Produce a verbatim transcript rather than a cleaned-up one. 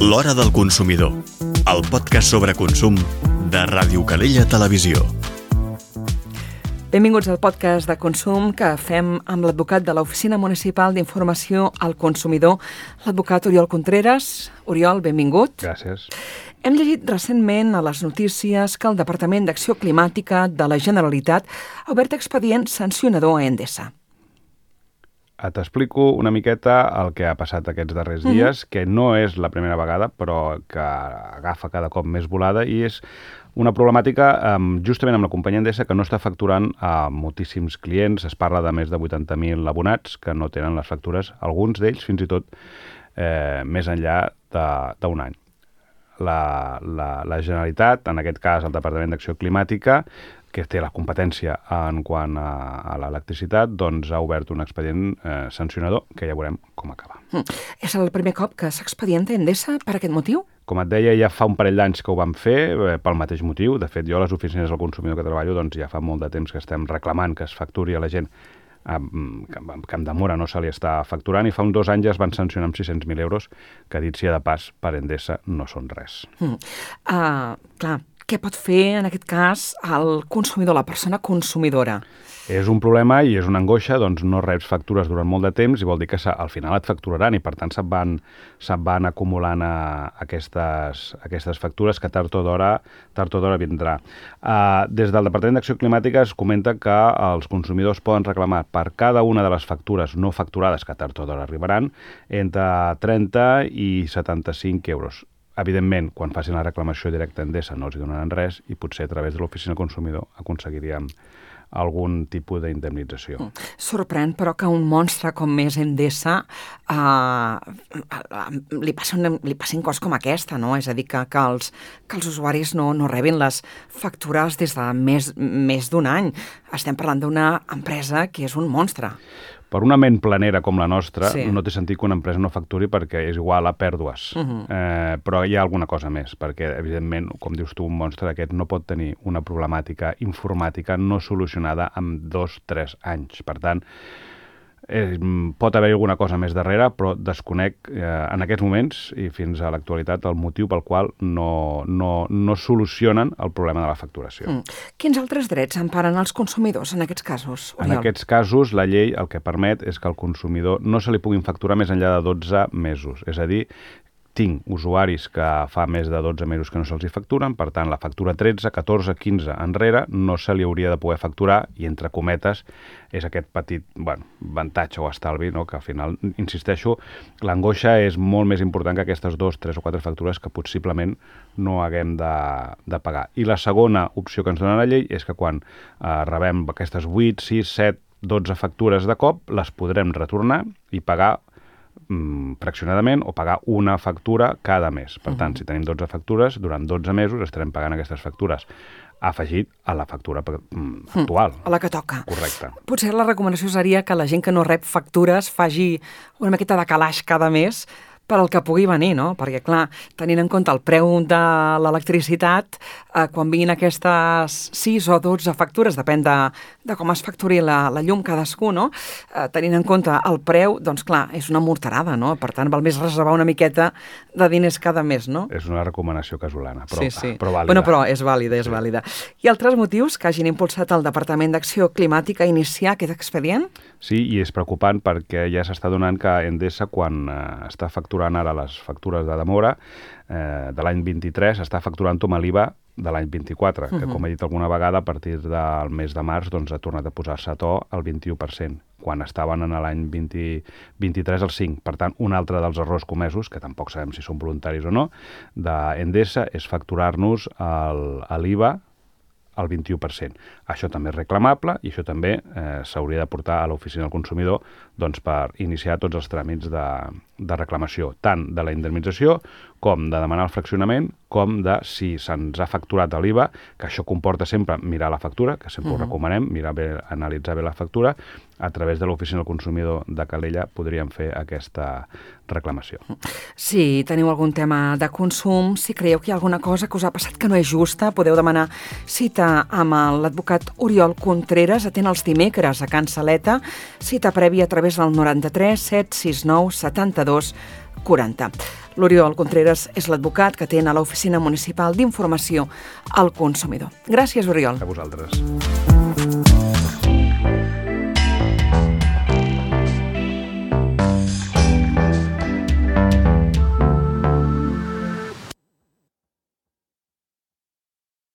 L'Hora del Consumidor, el podcast sobre consum de Ràdio Calella Televisió. Benvinguts al podcast de consum que fem amb l'advocat de l'Oficina Municipal d'Informació al Consumidor, l'advocat Oriol Contreras. Oriol, benvingut. Gràcies. Hem llegit recentment a les notícies que el Departament d'Acció Climàtica de la Generalitat ha obert expedient sancionador a Endesa. T'explico una miqueta el que ha passat aquests darrers dies, uh-huh. que no és la primera vegada, però que agafa cada cop més volada, i és una problemàtica um, justament amb la companyia Endesa que no està facturant a moltíssims clients. Es parla de més de vuitanta mil abonats que no tenen les factures, alguns d'ells fins i tot eh, més enllà d'un any. La, la, la Generalitat, en aquest cas el Departament d'Acció Climàtica, que té la competència en quant a, a l'electricitat, doncs ha obert un expedient eh, sancionador que ja veurem com acaba. Mm. És el primer cop que s'expedienta Endesa per aquest motiu? Com et deia, ja fa un parell d'anys que ho vam fer eh, pel mateix motiu. De fet, jo a les oficines del consumidor que treballo doncs ja fa molt de temps que estem reclamant que es facturi a la gent eh, que en Camp de Móra no se li està facturant, i fa uns dos anys es van sancionar amb sis-cents mil euros, que dit sia de pas, per Endesa no són res. Mm. Uh, clar, què pot fer, en aquest cas, el consumidor, la persona consumidora? És un problema i és una angoixa, doncs no reps factures durant molt de temps i vol dir que al final et facturaran i per tant se't van, se't van acumulant a aquestes, aquestes factures que tard o d'hora tard o d'hora vindrà. Uh, des del Departament d'Acció Climàtica es comenta que els consumidors poden reclamar per cada una de les factures no facturades, que tard o d'hora arribaran, entre trenta i setanta-cinc euros. Evidentment, quan facin la reclamació directa a Endesa no els donaran res i potser a través de l'oficina consumidor aconseguiríem algun tipus d'indemnització. Mm. Sorprèn, però, que un monstre com és Endesa eh, li, passin, li passin coses com aquesta, no? És a dir, que, que, els, que els usuaris no, no rebin les factures des de més, més d'un any. Estem parlant d'una empresa que és un monstre. Per una ment planera com la nostra, sí. no té sentit que una empresa no facturi perquè és igual a pèrdues. Uh-huh. eh, però hi ha alguna cosa més, perquè, evidentment, com dius tu, un monstre d'aquest no pot tenir una problemàtica informàtica no solucionada en dos o tres anys. Per tant, eh, pot haver alguna cosa més darrere, però desconec eh, en aquests moments i fins a l'actualitat el motiu pel qual no, no, no solucionen el problema de la facturació. Mm. Quins altres drets emparen els consumidors en aquests casos, Oriol? En aquests casos, la llei el que permet és que al consumidor no se li puguin facturar més enllà de dotze mesos. És a dir, tinc usuaris que fa més de dotze mesos que no se'ls hi facturen, per tant, la factura tretze, catorze, quinze enrere no se li hauria de poder facturar i, entre cometes, és aquest petit bueno, avantatge o estalvi, no? Que al final, insisteixo, l'angoixa és molt més important que aquestes dos, tres o quatre factures que possiblement no haguem de, de pagar. I la segona opció que ens dona la llei és que quan eh, rebem aquestes vuit, sis, set, dotze factures de cop, les podrem retornar i pagar fraccionadament o pagar una factura cada mes. Per tant, uh-huh. si tenim dotze factures, durant dotze mesos estarem pagant aquestes factures afegit a la factura mm, actual. A la que toca. Correcte. Potser la recomanació seria que la gent que no rep factures faci una miqueta de calaix cada mes per al que pugui venir, no? Perquè, clar, tenint en compte el preu de l'electricitat, eh, quan vinguin aquestes sis o dotze factures, depèn de, de com es facturi la, la llum cadascú, no? Eh, tenint en compte el preu, doncs, clar, és una morterada, no? Per tant, val més reservar una miqueta de diners cada mes, no? És una recomanació casolana, però, sí, sí. però vàlida. Bueno, però és vàlida, és sí. vàlida. I altres motius que hagin impulsat el Departament d'Acció Climàtica a iniciar aquest expedient? Sí, i és preocupant perquè ja s'està donant que Endesa, quan eh, està facturant ara les factures de demora eh, de l'any vint-i-tres, està facturant-ho amb l'I V A de l'any vint-i-quatre, uh-huh. que, com he dit alguna vegada, a partir del mes de març doncs, ha tornat a posar-se a to al vint-i-u per cent, quan estaven en l'any vint, vint-i-tres al cinc. Per tant, un altre dels errors comesos, que tampoc sabem si són voluntaris o no, d'Endesa és facturar-nos l'I V A al vint-i-u per cent. Això també és reclamable i això també eh, s'hauria de portar a l'oficina del consumidor doncs, per iniciar tots els tràmits de, de reclamació, tant de la indemnització com de demanar el fraccionament, com de si se'ns ha facturat l'I V A, que això comporta sempre mirar la factura, que sempre uh-huh. ho recomanem, mirar bé, analitzar bé la factura. A través de l'oficina del consumidor de Calella podríem fer aquesta reclamació. Si teniu algun tema de consum, si creieu que hi ha alguna cosa que us ha passat que no és justa, podeu demanar cita amb l'advocat Oriol Contreras, atén els dimecres a Can Saleta, cita prèvia a través del noranta-tres set sis nou setanta-dos quaranta. L'Oriol Contreras és l'advocat que atén a l'Oficina Municipal d'Informació al Consumidor. Gràcies, Oriol. A vosaltres.